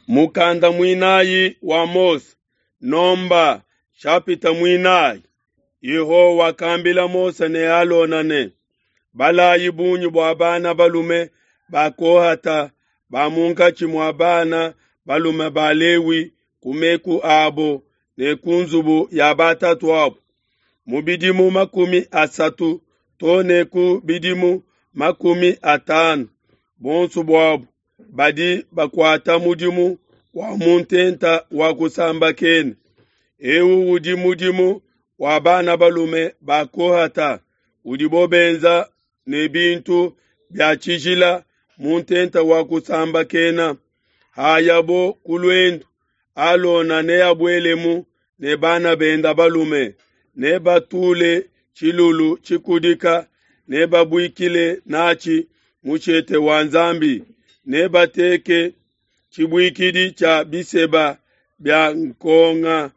Mukanda muinayi wa Mose, Nomba nshapita muinayi. Yehowa wakambila Mose ne Alona ne, Balayi bungi bua bana balume ba Kohata ba munkatshi mua bana balume ba Lewi ku meku abo ne ku nzubu ya batatuabu, mu bidimu 30 too ne ku bidimu 50, bonso buabu badi bakuata mudimu wa mu ntenta wa kusambakena. Eu udi mudimu wa bana balume ba Kohata udibo benza ne bintu bia tshijila mu ntenta wa kusambakena. Hayabo ku luendu, Alona neabuelemu ne bana benda balume, nebatule tshilulu tshikudika, nebabuikile natshi mushete wa Nzambi, nebateke tshibuikidi tshia biseba bia nkonga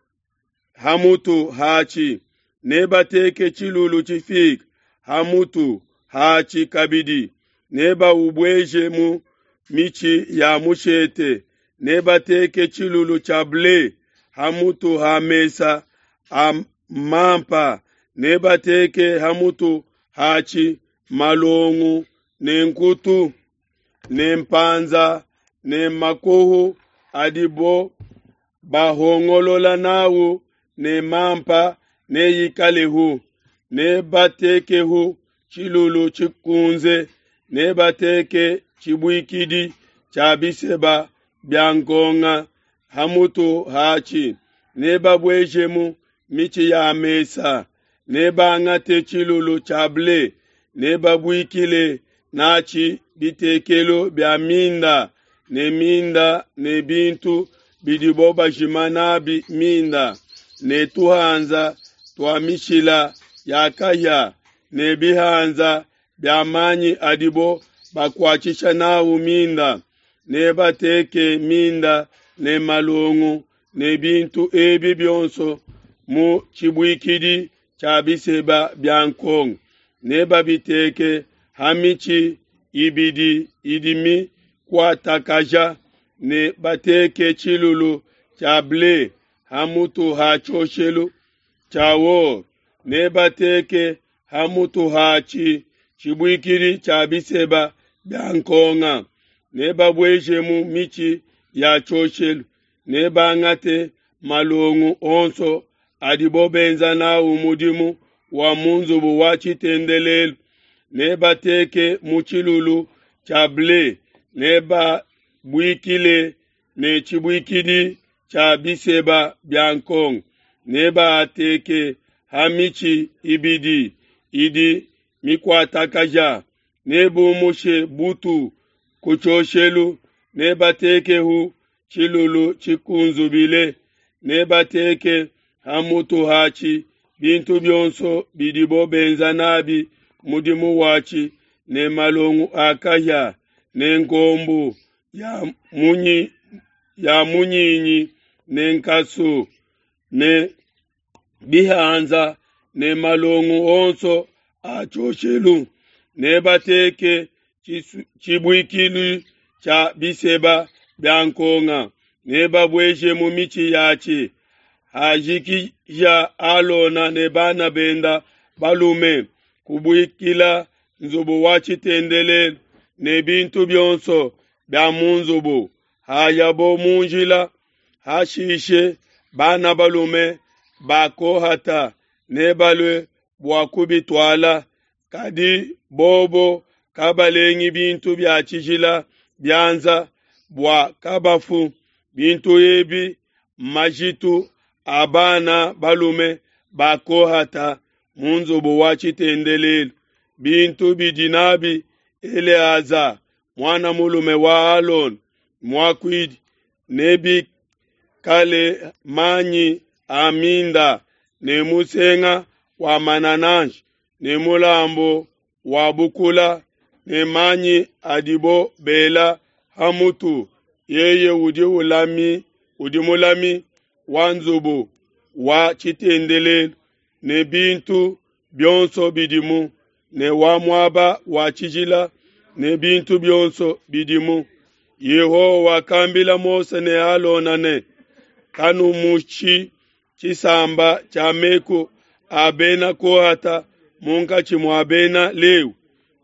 hamutu hatshi, nebateke tshilulu tshifike hamutu hatshi kabidi, nebaubueje mu mitshi ya mushete, nebateke tshilulu tshia ble hamutu ha mesa a mampa, nebateke hamutu hatshi malongu ne nkutu ne mpanza ne makoho adibo bahongolola nawu ne mampa neyikalehu, nebatekehu tshilulu tshikunze, nebateke tshibuikidi tshia biseba bia nkonga hamutu hatshi, nebabuejemu mitshi ya mesa, nebangate tshilulu tshia ble, nebabuikile natshi bitekelu bia minda ne minda ne bintu bidibo bajima nabi minda, ne tuhanza tua mishila ya kahia ne bihanza bia manyi adibo bakuatshisha nawu minda, nebateke minda ne malongu ne bintu ebi bionso mu tshibuikidi tshia biseba bia nkonga, nebabiteke ha mitshi ibidi idi mikuatakaja, ne bateke tshilulu tshia ble hamutu ha tshioshelu tshia or, nebateke hamutu hatshi tshibuikidi tshia biseba bia nkonga, nebabuejemu mitshi ya tshioshelu, nebangate malongu onso adibo benza nawu mudimu wa mu nzubu wa tshitendelelu, nebateke mu tshilulu tshia ble, nebabuikile ne tshibuikidi tshia biseba bia nkonga, nebaateke ha mitshi ibidi idi mikuatakaja, nebumushe butu ku tshioshelu, nebatekehu tshilulu tshikunzubile, nebateke hamutu hatshi bintu bionso bidibo benza nabi mudimu watshi, ne malongu a kahia ne nkombu ya munyinyi ne nkasu ne bihanza ne malongu onso a tshioshelu, nebateke tshibuikilu tshia biseba bia nkonga, nebabuejemu mitshi yatshi. Hajikija Alona ne bana benda balume kubuikila nzubu wa tshitendelelu ne bintu bionso bia mu nzubu, hayabo mu njila. Hashishe bana balume ba Kohata nebalue bua kubituala, kadi bobo kabalengi bintu bia tshijila bianza bua kabafu. Bintu ebi majitu a bana balume ba Kohata mu nzubu wa tshitendelelu, bintu bidi nabi Eleaza muana mulume wa Alona muakuidi, nebikale manyi a minda ne musenga wa manananshi ne mulambu wa bukula ne manyi adibo bela hamutu. Yeye udi mulami wa nzubu wa tshitendelelu ne bintu bionso bidimu, ne wa muaba wa tshijila ne bintu bionso bidimu. Yehowa wakambila Mose ne Alona ne, Kanumushi tshisamba tshia meku a bena Kohata munkatshi mua bena Lewi,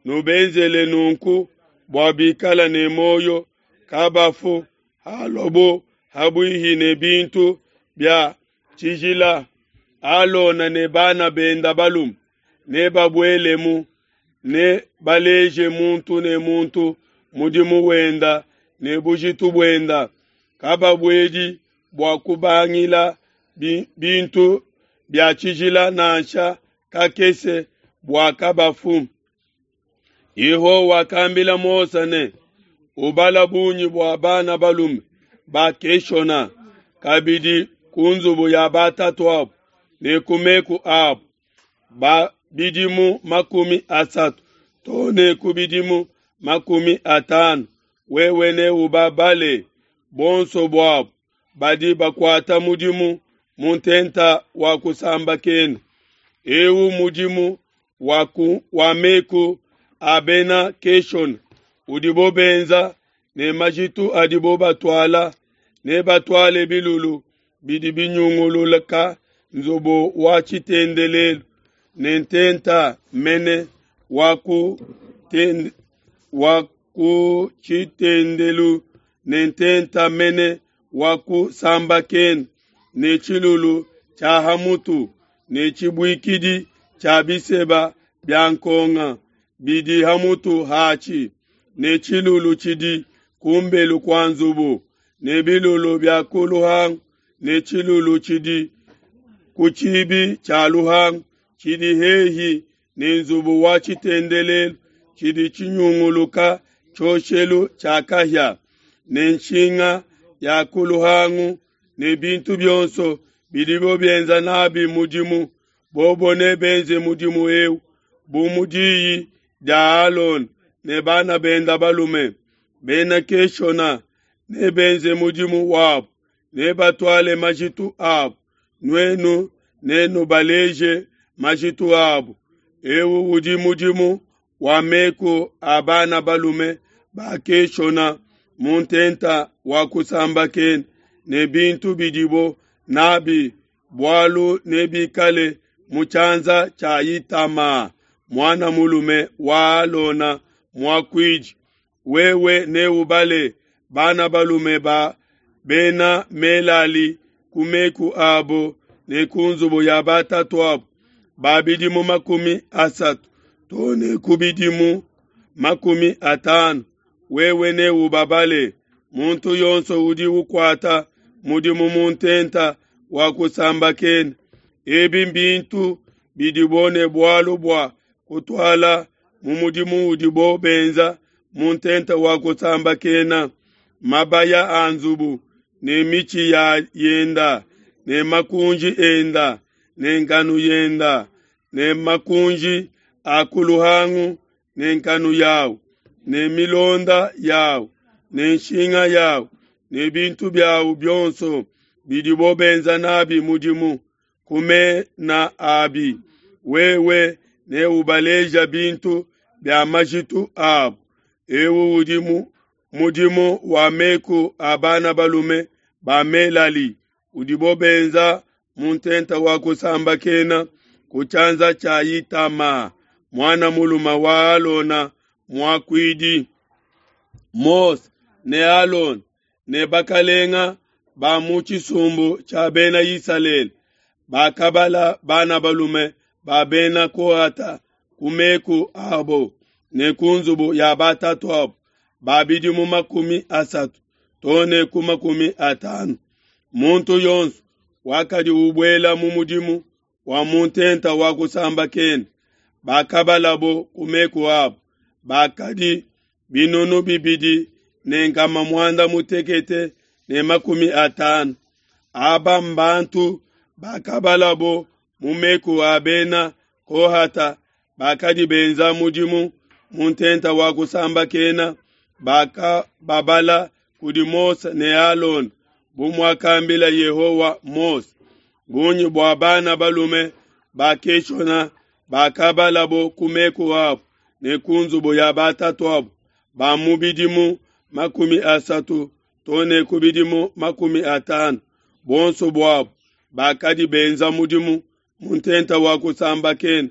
nubenzele nunku bua bikala ne muoyo, kabafu haluabo ha buihi ne bintu bia tshijila. Alona ne bana benda balume nebabuelemu, nebaleje muntu ne muntu mudimu wenda ne bujitu buenda. Kababuedi bua kubangila bintu bia tshijila nansha kakese bua kabafu. Yehowa wakambila Mose ne, Ubala bungi bua bana balume ba Keshona kabidi ku nzubu ya batatuabu ne ku meku abu, ba bidimu 30 too ne ku bidimu 50, wewe neubabale bonso buabu badi bakuata mudimu mu ntenta wa kusambakena. Eu mudimu wa, ku, wa meku a bena Keshona udibo benza ne majitu adibo batuala. Nebatuale bilulu bidi binyungululka nzubu wa tshitendelelu ne ntenta mene wa ku ten, wa ku tshitendelu ne ntenta mene wa kusambakena ne tshilulu tshia ha mutu ne tshibuikidi tshia biseba bia nkonga bidi ha mutu hatshi ne tshilulu tshidi kumbelu kua nzubu ne bilulu bia ku luhangu ne tshilulu tshidi ku tshibi tshia luhangu tshidi hehi ne nzubu wa tshitendelelu tshidi tshinyunguluka tshioshelu tshia kahia ne nshinga ya ku luhangu ne bintu bionso bidibo bienza nabi mudimu. Bobo nebenze mudimu eu bu mu diyi dia Alona ne bana benda balume. Bena Keshona nebenze mudimu wabu, nebatuale majitu abu, nuenu nenubaleje majitu abu. Eu udi mudimu wa meku a bana balume ba Keshona mu ntenta wa kusambakena ne bintu bidibo nabi, bualu nebikale mu tshianza tshia Itama, muana mulume wa Alona muakuidi. Wewe neubale bana balume ba bena Melali ku meku abo ne ku nzubu ya batatuabu, ba bidimu 30 too ne ku bidimu 50. Wewe neubabale, muntu yonso udi ukuata mudimu mu ntenta wa kusambakena. Ebi mbintu bidibo ne bualu bua kutuala mu mudimu udibo benza mu ntenta wa kusambakena: mabaya a nzubu ne mitshi ya yenda ne makunji enda ne nkanu yenda ne makunji a ku luhangu ne nkanu yawu ne milonda yawu ne nshinga yawu ne bintu biawu bionso bidibo benza nabi mudimu ku mena abi. Wewe neubaleja bintu bia majitu abu. Eu udi mudimu wa meku a bana balume ba Melali udibo benza mu ntenta wa kusambakena ku tshianza tshia Itama, muana mulume wa Alona muakuidi. Mose ne Alona ne bakalenga ba mu tshisumbu tshia bena Isalele bakabala bana balume ba bena Kohata ku meku abo ne ku nzubu ya batatuabu, ba bidimu 30 too ne ku 50. Muntu yonso wakadi ubuela mu mudimu wa mu ntenta wa kusambakena, bakabalabo ku meku abo, bakadi 2850. Aba mbantu bakabalabo mu meku a bena Kohata bakadi benza mudimu mu ntenta wa kusambakena, bakababala kudi Mose ne Alona bu muakambila Yehowa Mose. Bungi bua bana balume ba Keshona bakabalabo ku meku abo ne ku nzubu ya batatuabu, ba mu bidimu 30 to ne ku bidimu 50, buonso buabo bakadi benza mudimu mu ntenta wa kusambakena,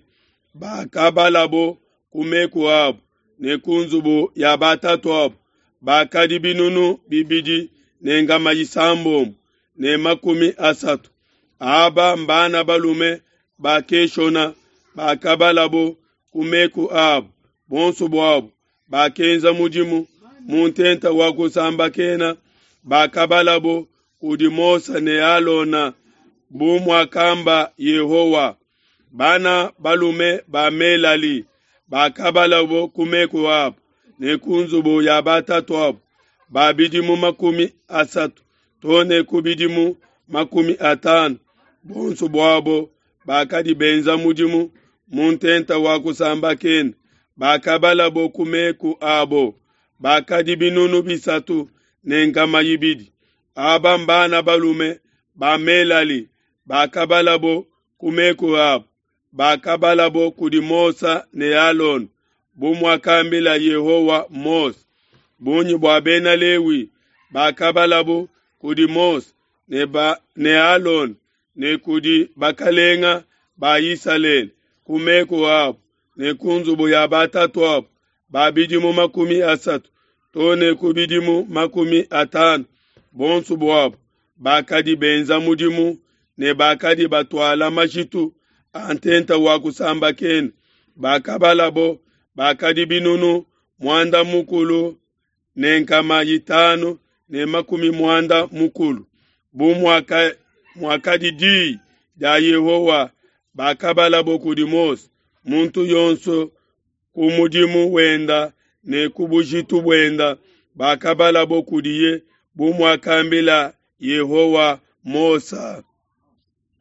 bakabalabo ku meku abo ne ku nzubu ya batatuabo, bakadi 2630. Aba mbana balume ba Keshona bakabalabo ku meku abo, buonso buabo bakenza mudimu mu ntenta wa kusambakena, bakabalabo kudi Mose ne Alona bu muakamba Yehowa. Bana balume ba Melali bakabalabo ku meku abo ne ku nzubu ya batatuabo, ba bidimu 30 to ne ku bidimu 50, buonso buabo bakadi benza mudimu mu ntenta wa kusambakena, bakabalabo ku meku abo, bakadi 3200. Aba mbana balume ba Melali bakabalabo ku meku abo, bakabalabo kudi Mose ne Alona, bu muakambila Yehowa Mose. Bungi bua Bena Lewi bakabalabo kudi Mose ne, ne Alona ne kudi bakalenga ba Isalele ku meku abo ne ku nzubu ya batatuabo, ba bidimu 30 to ne ku bidimu 50, bonso buabo bakadi benza mudimu ne bakadi batuala majitu a ntenta wa kusambakena, bakabalabo bakadi 9550. Bu muakadi diyi dia Yehowa, bakabalabo kudi Mose, muntu yonso ku mudimu wenda ne ku bujitu buenda, bakabalabo kudiye bu muakambila Yehowa Mose.